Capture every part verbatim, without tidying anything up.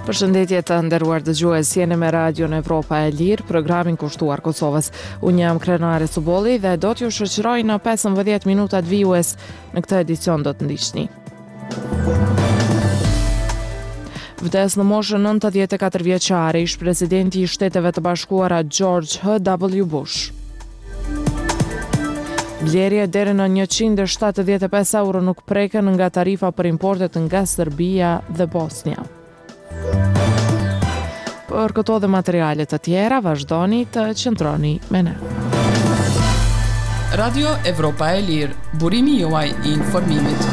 Përshëndetje të nderuar dëgjues, jeni me Radion Evropa e Lirë, programin kushtuar Kosovës. Unë jam Krenare Subolli dhe do t'ju shoqëroj në pesëmbëdhjetë minutat vijues. Në këtë edicion do të ndiqni. Vdes në moshën nëntëdhjetë e katër vjeçare ish presidenti i Shteteve të Bashkuara George H W Bush. Blerje deri në njëqind e shtatëdhjetë e pesë euro nuk preken nga tarifa për importet nga Serbia dhe Bosnia. Për këto dhe materiale të tjera, vazhdoni të qëndroni me ne. Radio Evropa e Lirë, burimi juaj i informimit.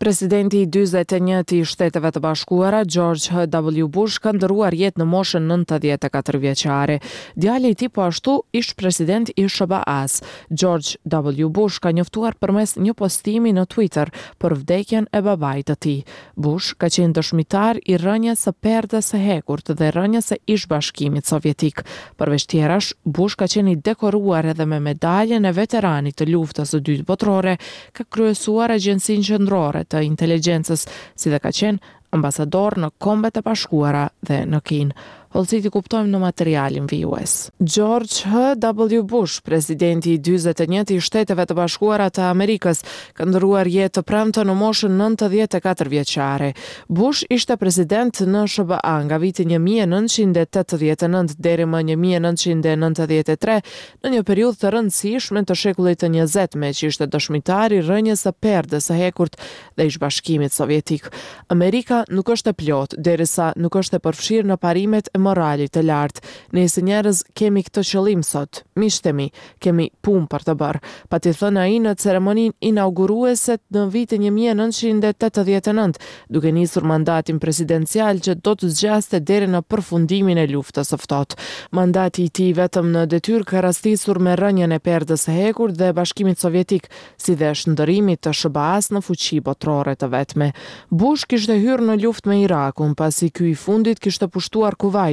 Presidenti i dyzet e një i Shteteve të Bashkuara, George H W Bush, ka ndërruar jetë në moshën nëntëdhjetë e katër vjeçare. Djali i tij po ashtu ish president i S H B A-s, George W Bush, ka njoftuar përmes një postimi në Twitter për vdekjen e babait të tij. Bush ka qenë dëshmitar i rënjes së perdes së hekurt dhe rënjes së ish Bashkimit Sovjetik. Përveç tjerash, Bush ka qenë i dekoruar edhe me medaljen e veteranit të luftës së dytë botërore, ka kryesuar Agjencinë Qendrore të Inteligjencës, si dhe ka qenë ambasador në Kombet e Bashkuara dhe në Kinë. Hollësitë i kuptojmë në materialin vijues. George H W Bush, presidenti i dyzet e një i Shteteve të Bashkuara të Amerikës, ka ndërruar jetë të premten në moshën nëntëdhjetë e katër vjeçare. Bush ishte president në S H B A nga viti një mijë e nëntëqind e tetëdhjetë e nëntë deri më një mijë e nëntëqind e nëntëdhjetë e tre, në një periudhë të rëndësishme të shekullit të njëzet, me që ishte dëshmitar i rënjes së perdes së hekurt dhe ish Bashkimit Sovjetik. Amerika nuk është e plotë derisa nuk është e përfshirë në parimet e moralit të lartë. Ne si njerëz kemi këtë qëllim sot. Miqtë e mi, kemi punë për të bërë. Pati thënë ai në ceremoninë inauguruese në vitin një mijë e nëntëqind e tetëdhjetë e nëntë, duke nisur mandatin presidencial që do të zgjaste deri në përfundimin e luftës së ftohtë. Mandati i tij vetëm në detyrë ka rastisur me rënien e perdes së hekurt dhe Bashkimit Sovjetik, si dhe shndërrimit të S H B A-s në fuqi botërore të vetme. Bush kishte hyrë në luftë me Irakun, pasi ky i fundit kishte pushtuar Kuwaitin,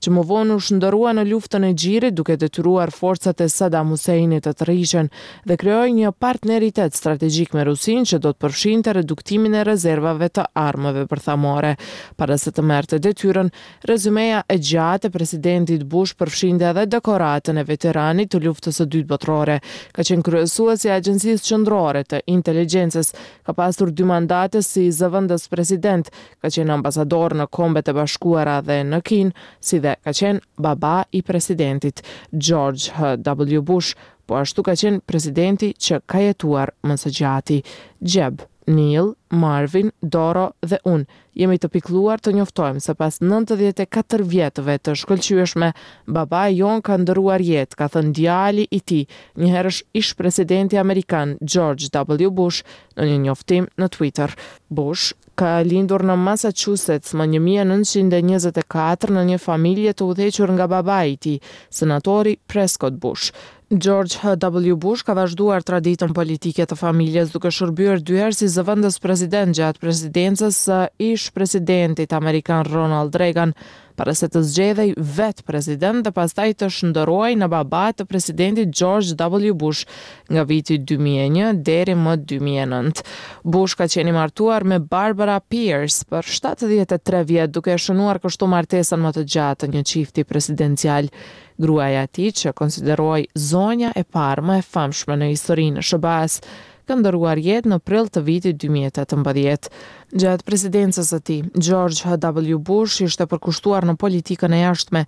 që më vonë u shndërrua në luftën e Gjirit, duke detyruar forcat e Saddam Husseinit të tërhiqen dhe krijoi një partneritet strategjik me Rusinë që do të përfshinte reduktimin e rezervave të armëve bërthamore. Para se të merrte detyrën, rezumeja e gjatë e presidentit Bush përfshinte edhe dekoratën e veteranit të luftës së dytë botërore. Ka qenë kryesues i Agjencisë Qendrore të Inteligjencës, ka pasur dy mandate si zëvendës president, ka qenë ambasador në Kombet e Bashkuara dhe në Kinë, si dhe ka qenë baba i presidentit George H W Bush, po ashtu ka qenë presidenti që ka jetuar më së gjati. Jeb, Neil, Marvin, Doro dhe unë jemi të pikluar të njoftojmë se pas nëntëdhjetë e katër vjetëve të shkëlqyeshme, babai jon ka ndërruar jetë, ka thënë djali i tij, njëherësh ish presidenti amerikan George W Bush në një njoftim në Twitter. Bush ka lindur në Massachusetts më një mijë e nëntëqind e njëzet e katër në një familje të udhëhequr nga babai i tij, senatori Prescott Bush. George H W Bush ka vazhduar traditën politike të familjes duke shërbyer dy herë si zëvendës president gjatë presidencës së ish presidentit amerikan Ronald Reagan, para se të zgjedhej vetë president dhe pastaj të shndërrohej në baba të presidentit George W Bush nga viti dy mijë e një deri më dy mijë e nëntë. Bush ka qenë i martuar me Barbara Pierce për shtatëdhjetë e tre vjet, duke e shënuar kështu martesën më të gjatë të një çifti presidencial. Gruaja e tij, që konsiderohej zonja e parë më e famshme në historinë e S H B A-s, ka ndërruar jetë në prill të vitit dy mijë e tetëmbëdhjetë. Gjatë presidencës së tij, George H W Bush ishte përkushtuar në politikën e jashtme,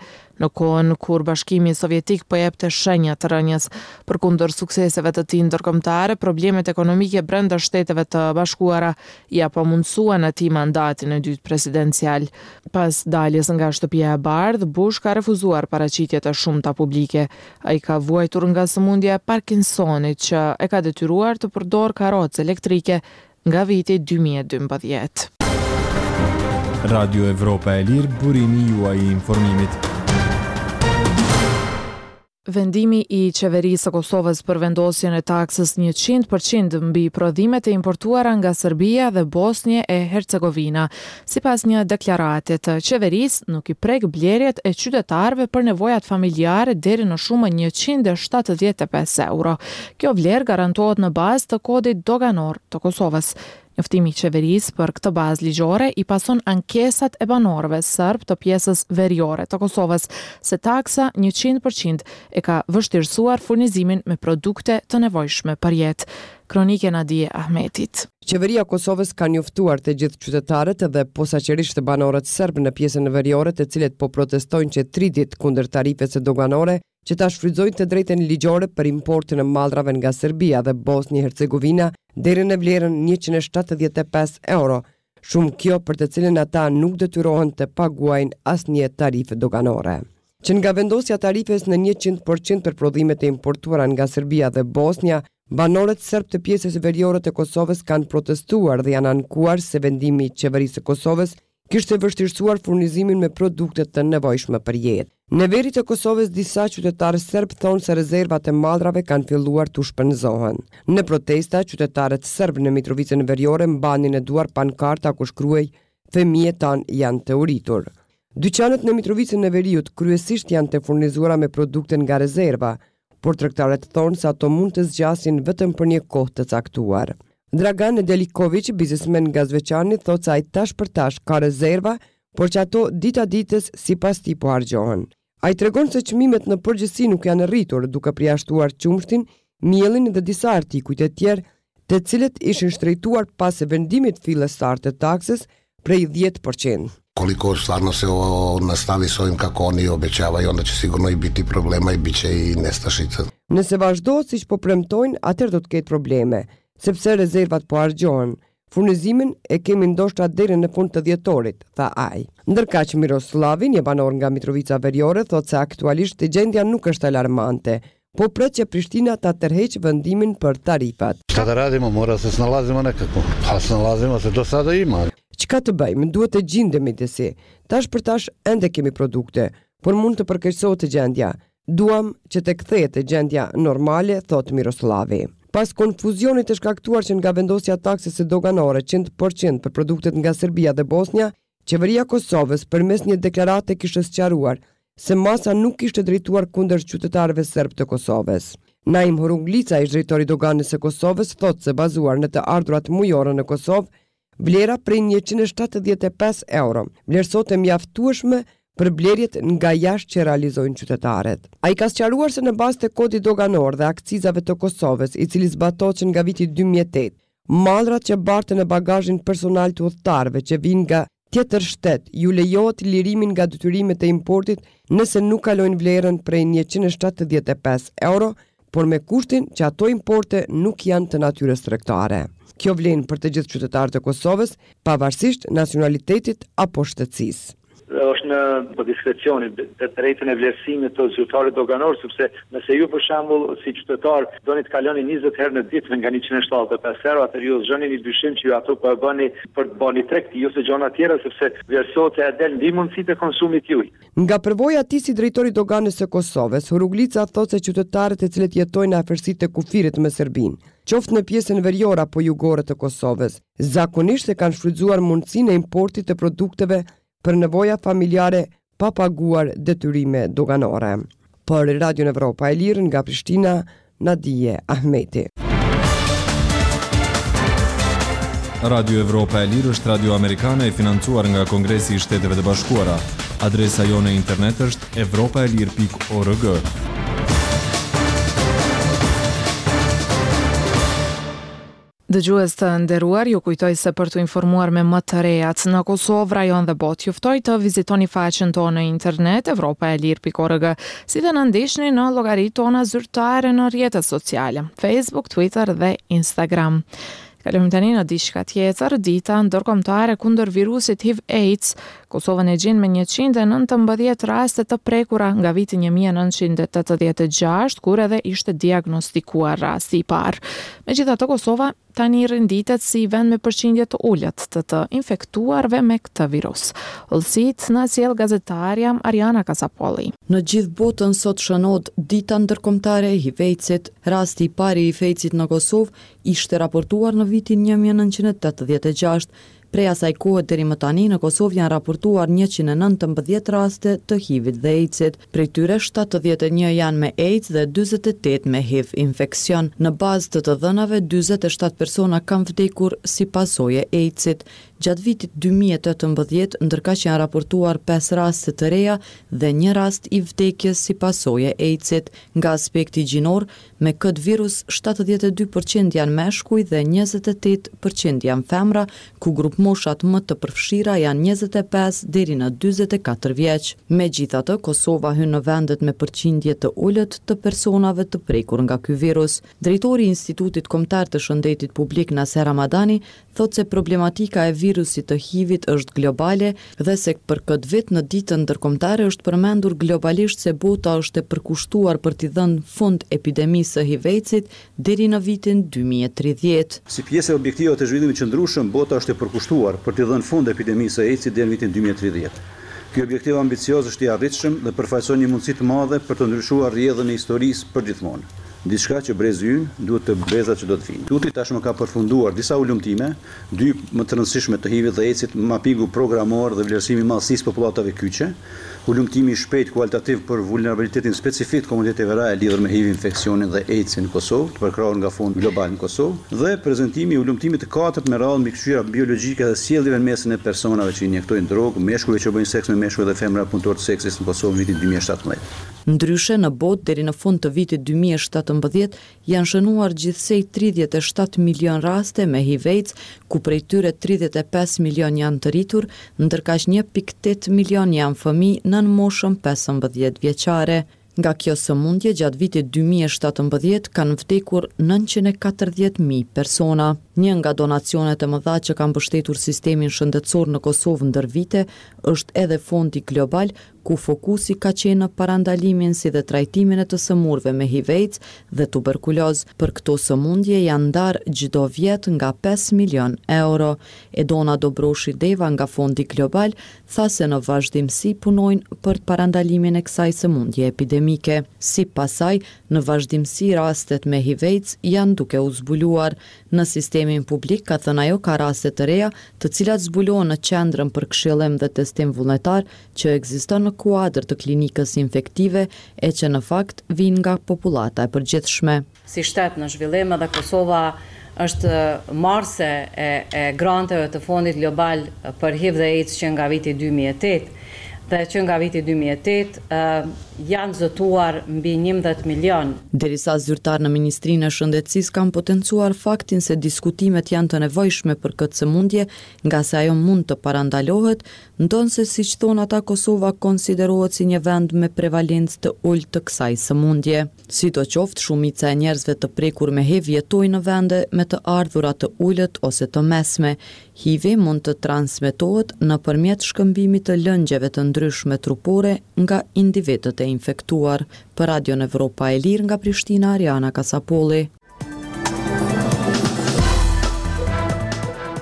në kohën kur Bashkimi Sovjetik po jepte shenja të rënjes. Përkundër sukseseve të tij ndërkombëtare, problemet ekonomike brenda Shteteve të Bashkuara ia pamundësuan atij mandatin e dytë presidencial. Pas daljes nga Shtëpia e Bardhë, Bush ka refuzuar paraqitjet e shumta publike. Ai ka vuajtur nga sëmundja e Parkinsonit që e ka detyruar të përdorë karrocë elektrike nga viti dy mijë e dymbëdhjetë. Radio Evropa e Lirë, burimi juaj i informimit. Vendimi i qeverisë së Kosovës për vendosjen e taksës njëqind për qind mbi prodhimet e importuara nga Serbia dhe Bosnjë e Hercegovina, sipas një deklarate të qeverisë, nuk i prek blerjet e qytetarëve për nevojat familjare deri në shumën njëqind e shtatëdhjetë e pesë euro. Kjo vlerë garantohet në bazë të kodit doganor të Kosovës. Njoftimi i qeverisë për këtë bazë ligjore i pason ankesat e banorëve serb të pjesës veriore të Kosovës se taksa njëqind për qind e ka vështirësuar furnizimin me produkte të nevojshme për jetë. Kronike Nadie Ahmetit. Qeveria e Kosovës ka njoftuar të gjithë qytetarët dhe posaçërisht banorët serb në pjesën veriore, të cilët po protestojnë që tri ditë kundër tarifës doganore, që ta shfrytëzojnë të drejtën ligjore për importin e mallrave nga Serbia dhe Bosnjë Hercegovina deri në vlerën njëqind e shtatëdhjetë e pesë euro, shumë kjo për të cilën ata nuk detyrohen të paguajnë asnjë tarifë doganore. Që nga vendosja tarifës në njëqind për qind për prodhimet e importuara nga Serbia dhe Bosnja, banorët serb të pjesës veriore të Kosovës kanë protestuar dhe janë ankuar se vendimi i qeverisë së Kosovës kishte vështirësuar furnizimin me produkte të nevojshme për jetë. Në veri të Kosovës disa qytetarë serb thonë se rezervat e mallrave kanë filluar të shpenzohen. Në protesta, qytetarët serb në Mitrovicën Veriore mbanin në duar pankarta ku shkruhej "Fëmijët tanë janë të uritur". Dyqanet në Mitrovicën e Veriut kryesisht janë të furnizuara me produkte nga rezerva, por tregtarët thonë se ato mund të zgjasin vetëm për një kohë të caktuar. Dragan Nedeljković, biznesmen nga Zveçani, thotë se ai tash për tash ka rezerva, por që ato dita ditës sipas tij po harxhohen. Ai tregon se çmimet në përgjithësi nuk janë rritur, duke përjashtuar qumështin, miellin dhe disa artikuj të tjerë, të cilët ishin shtrejtuar pas vendimit fillestar të taksës prej dhjetë për qind. Koliko stvarno se ovo nastavi s ovim kako oni obećavaju, onda će sigurno i biti problema i bit će i nestašica. Nëse vazhdohet siç po premtojnë, atëherë do të ketë probleme, sepse rezervat po harxhohen. Furnizimin e kemi ndoshta deri në fund të dhjetorit, tha ai. Ndërkaq Miroslavi, një banor nga Mitrovica Veriore, thotë se aktualisht gjendja nuk është alarmante, po pret që Prishtina ta tërheqë vendimin për tarifat. Šta da radimo, mora se snalazimo nekako. Pa snalazimo se, do sada ima. Çka të bëjmë, duhet të gjindemi disi. Tash për tash ende kemi produkte, por mund të përkeqësohet gjendja. Duam që të kthehet gjendja normale, thotë Miroslavi. Pas konfuzionit të shkaktuar që nga vendosja taksës së doganore qind për qind për produktet nga Serbia dhe Bosnja, qeveria e Kosovës përmes një deklarate kishte sqaruar se masa nuk ishte drejtuar kundër qytetarëve serb të Kosovës. Naim Huruglica, ish drejtori i doganës së Kosovës, thotë se bazuar në të ardhurat mujore në Kosovë, vlera prej njëqind e shtatëdhjetë e pesë euro vlerësohet e mjaftueshme për blerjet nga jashtë që realizojnë qytetarët. Ai ka sqaruar se në bazë të kodit doganor dhe akcizave të Kosovës, i cili zbatohet që nga viti dy mijë e tetë, mallrat që barten në bagazhin personal të udhëtarëve që vijnë nga tjetër shtet ju lejohet lirimin nga detyrimet e importit nëse nuk kalojnë vlerën prej njëqind e shtatëdhjetë e pesë euro, por me kushtin që ato importe nuk janë të natyrës tregtare. Kjo vlen për të gjithë qytetarët e Kosovës, pavarësisht nacionalitetit apo shtetësisë. Është në po diskrecionin, të drejtën e vlerësimit të zyrtarit doganor, sepse nëse ju për shembull si qytetar doni të kaloni njëzet herë në ditë nga njëqind e shtatëdhjetë e pesë euro, atëherë ju zgjoni një dyshim që ju ato po e bëni për të bërë tregti ose gjëra tjera, sepse vlerësohet se e del mbi mundësitë e konsumit juaj. Nga përvoja e tij si drejtor i doganës së Kosovës, Huruglica thotë se qytetarët e cilët jetojnë në afërsi të kufirit me Serbinë, qoftë në pjesën veriore apo jugore të Kosovës, zakonisht e kanë shfrytzuar mundësinë e importit të produkteve për nevoja familjare pa paguar detyrime doganore. Për Radion Evropa e Lirë nga Prishtina, Nadie Ahmeti. Radio Evropa e Lirë është radio amerikane e financuar nga Kongresi i Shteteve të Bashkuara. Adresa jonë e internet është evropa e lirë pikë org. Dëgjues të nderuar, ju kujtoj se për t'u informuar me më të rejat në Kosovë, rajon dhe botë, ju ftoj të vizitoni faqen tonë në internet evropa e lirë pikë org, si dhe na ndiqni në llogaritë tona zyrtare në rrjetet sociale, Facebook, Twitter dhe Instagram. Kalojmë tani në diçka tjetër, dita ndërkombëtare kundër virusit H I V AIDS, Kosovën e gjen me njëqind e nëntëmbëdhjetë raste të prekura nga viti një mijë e nëntëqind e tetëdhjetë e gjashtë, kur edhe ishte diagnostikuar rasti i parë. Megjithatë, Kosova tani renditet si vend me përqindje të ulët të të infektuarve me këtë virus. Hollësitë na sjell gazetarja Ariana Kasapolli. Në gjithë botën sot shënohet dita ndërkombëtare e H I V AIDS-it. Rasti i parë i H I V AIDS-it në Kosovë ishte raportuar në vitin një mijë e nëntëqind e tetëdhjetë e gjashtë. Prej asaj kohe deri më tani në Kosovë janë raportuar njëqind e nëntëmbëdhjetë raste të H I V-it dhe AIDS-it. Prej tyre shtatëdhjetë e një janë me AIDS dhe dyzet e tetë me H I V infeksion. Në bazë të të dhënave, dyzet e shtatë persona kanë vdekur si pasojë e AIDS-it. Gjatë vitit dy mijë e tetëmbëdhjetë, ndërkaq janë raportuar pesë raste të reja dhe një rast i vdekjes si pasojë e AIDS-it. Nga aspekti gjinor, me këtë virus shtatëdhjetë e dy përqind janë meshkuj dhe njëzet e tetë përqind janë femra, ku grupmoshat më të përfshira janë njëzet e pesë deri në dyzet e katër vjeç. Megjithatë, Kosova hyn në vendet me përqindje të ulët të personave të prekur nga ky virus. Drejtori i Institutit Kombëtar të Shëndetit Publik Naser Ramadani thotë se problematika e virusit të H I V-it është globale dhe se për këtë vit në ditën ndërkombëtare është përmendur globalisht se bota është e përkushtuar për t'i dhënë fund epidemisë së H I V-it deri në vitin dy mijë e tridhjetë. Si pjesë e objektivave të zhvillimit të qëndrueshëm, bota është e përkushtuar për t'i dhënë fund epidemisë së AIDS-it deri në vitin dy mijë e tridhjetë. Ky objektiv ambicioz është i arritshëm dhe përfaqëson një mundësi të madhe për të ndryshuar rrjedhën e historisë përgjithmonë. Diçka që brezi ynë duhet të brezat që do të vinë. Instituti tashmë ka përfunduar disa hulumtime, dy më të rëndësishme të H I V-it dhe AIDS-it, mapingu programor dhe vlerësimi i madhësisë popullatave kyçe, hulumtimi i shpejtë kualitativ për vulnerabilitetin specifik të komuniteteve reale lidhur me H I V infeksionin dhe AIDS-in në Kosovë, të përkrahur nga Fondi Global në Kosovë, dhe prezantimi i hulumtimit të katërt me radhë mbi këshyra biologjike dhe sjelljeve në mesin e personave që injektojnë drogë, meshkujve që bëjnë seks me meshkuj dhe femra punëtorë të seksit në Kosovë në vitin dy mijë e shtatëmbëdhjetë. Ndryshe, në botë deri në fund të vitit dy mijë e shtatëmbëdhjetë janë shënuar gjithsej tridhjetë e shtatë milion raste me H I V AIDS, ku prej tyre tridhjetë e pesë milion janë të rritur, ndërkaq një pikë tetë milion janë fëmijë nën moshën pesëmbëdhjetë vjeçare. Nga kjo sëmundje gjatë vitit dy mijë e shtatëmbëdhjetë kanë vdekur nëntëqind e katërdhjetë mijë persona. Një nga donacionet e mëdha që ka mbështetur sistemin shëndetësor në Kosovë ndër vite është edhe Fondi Global, ku fokusi ka qenë në parandalimin si dhe trajtimin e të sëmurëve me H I V AIDS dhe tuberkuloz. Për këto sëmundje janë ndarë çdo vjet nga pesë milion euro. Edona Dobroshi Deva nga Fondi Global tha se në vazhdimësi punojnë për parandalimin e kësaj sëmundje epidemike. Sipas saj, në vazhdimësi rastet me H I V AIDS janë duke u zbuluar. Në sistemin publik, ka thënë ajo, ka raste të reja, të cilat zbulohen në qendrën për këshillim dhe testim vullnetar që ekziston në kuadër të klinikës infektive e që në fakt vijnë nga popullata e përgjithshme. Si shtet në zhvillim edhe Kosova është marrëse e, e granteve të Fondit Global për H I V dhe AIDS që nga viti dy mijë e tetë. Dhe që nga viti dy mijë e tetë, ë, janë zotuar mbi njëmbëdhjetë milion. Derisa zyrtar në Ministrinë e Shëndetësisë kanë potencuar faktin se diskutimet janë të nevojshme për këtë sëmundje, nga se ajo mund të parandalohet, ndonëse siç thonë ata Kosova konsiderohet si një vend me prevalencë të ulët të kësaj sëmundje. Sidoqoftë, shumica e njerëzve të prekur me H I V jetojnë në vende me të ardhura të ulët ose të mesme. H I V mund të transmetohet nëpërmjet shkëmbimit të lëngjeve të ndryshme trupore nga individët e infektuar. Për Radion Evropa e Lirë nga Prishtina, Ariana Kasapolli.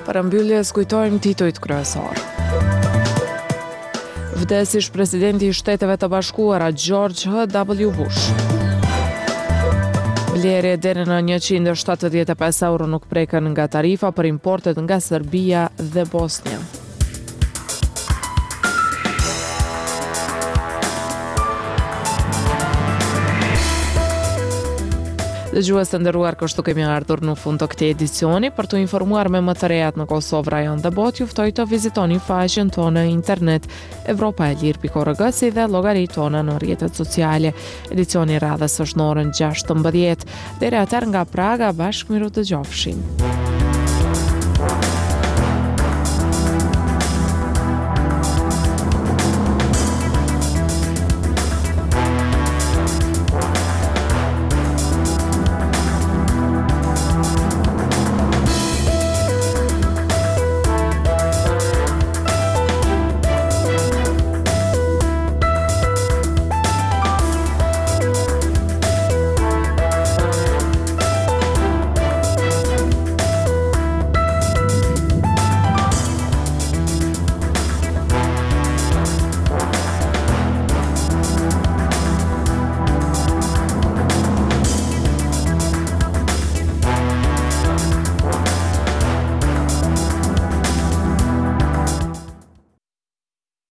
Para mbylljes kujtojmë titujt kryesor. Vdes ish presidenti i Shteteve të Bashkuara George H W Bush. Blerje deri në njëqind e shtatëdhjetë e pesë euro nuk preken nga tarifa për importet nga Serbia dhe Bosnja. Dëgjues të nderuar, kështu kemi ardhur në fund të këtij edicioni. Për t'u informuar me më të rejat në Kosovë, rajon dhe botë, ju ftoj të vizitoni faqen tonë në internet evropa e lirë pikë org si dhe llogaritë tona në rrjetet sociale. Edicioni i radhës është në orën gjashtëmbëdhjetë. Deri atëherë nga Praga, bashkë miru dëgjofshim.